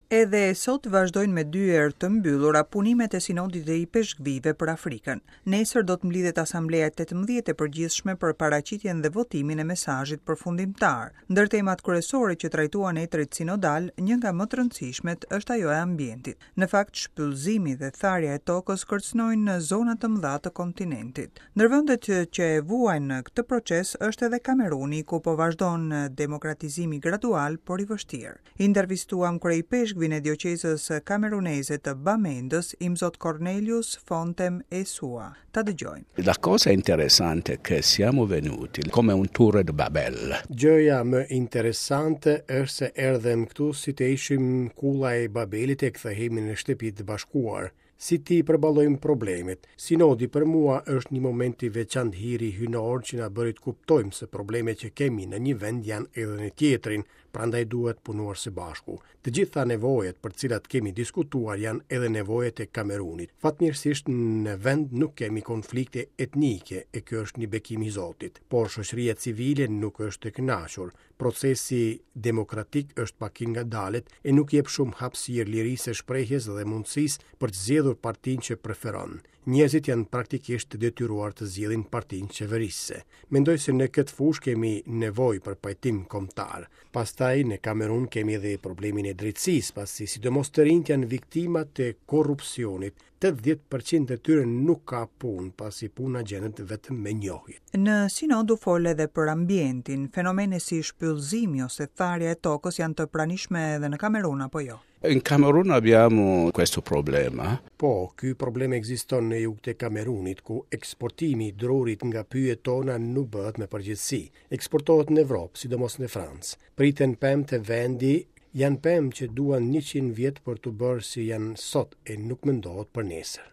Edhe sot vazhdojnë me dyer të mbyllura punimet e Sinodit të Ipeshkvijve për Afrikën. Nesër do të mblidhet Asambleja e 18 e përgjithshme për paraqitjen dhe votimin e mesazhit përfundimtar. Ndër temat kryesore që trajtuan etërit sinodal, një nga më të rëndësishmet është ajo e ambientit. Në fakt, shpyllëzimi dhe tharja e tokës kërcënojnë zona të mëdha të kontinentit. Ndër vendet që e vuajnë këtë proces është edhe Kameruni, ku po vazhdon demokratizimi gradual, por i vështirë. Intervistuam kryeipeshkvin e dioqezës kameruneze të Bamendës, Imzot Cornelius Fontem Esua. Ta dëgjojmë. La cosa interessante è che siamo venuti come un Torre de Babel. Gjëja më interesante është se erdhëm këtu si të ishim kulla e Babelit e kthehemi në shtëpi të bashkuar. Si t'i përballojmë problemet? Sinodi për mua është një moment i veçantë hiri hyjnor që na bëri të kuptojmë se problemet që kemi në një vend janë edhe në tjetrin, prandaj duhet punuar së bashku. Të gjitha nevojat për të cilat kemi diskutuar janë edhe nevojat e Kamerunit. Fatmirësisht në vend nuk kemi konflikte etnike e kjo është një bekim i Zotit. Por shoqëria civile nuk është e kënaqur. Procesi demokratik është pak i ngadalët e nuk jep shumë hapësirë lirisë së shprehjes dhe mundësisë për të zgjedhur partinë që preferon. Njerëzit janë praktikisht të detyruar të zgjedhin partinë qeverisëse. Mendoj se në këtë fushë kemi nevojë për pajtim kombëtar. Pastaj në Kamerun kemi edhe problemin e drejtësisë, pasi sidomos të rinjtë janë viktima të korrupsionit. 80% e tyre nuk ka punë, pasi puna gjendet vetëm me njohje. Në sinod u fol edhe për ambientin. Fenomene si shpyllëzimi ose tharja e tokës janë të pranishme edhe në Kamerun apo jo? In Camerun abbiamo questo problema. Po, ky problem ekziston në jug të Kamerunit, ku eksportimi i drurit nga pyjet tona nuk bëhet me përgjegjësi. Eksportohet në Evropë, sidomos në Francë. Priten pemë te vendi, janë pemë që duan 100 vjet për t'u bërë si janë sot e nuk mendohet për nesër.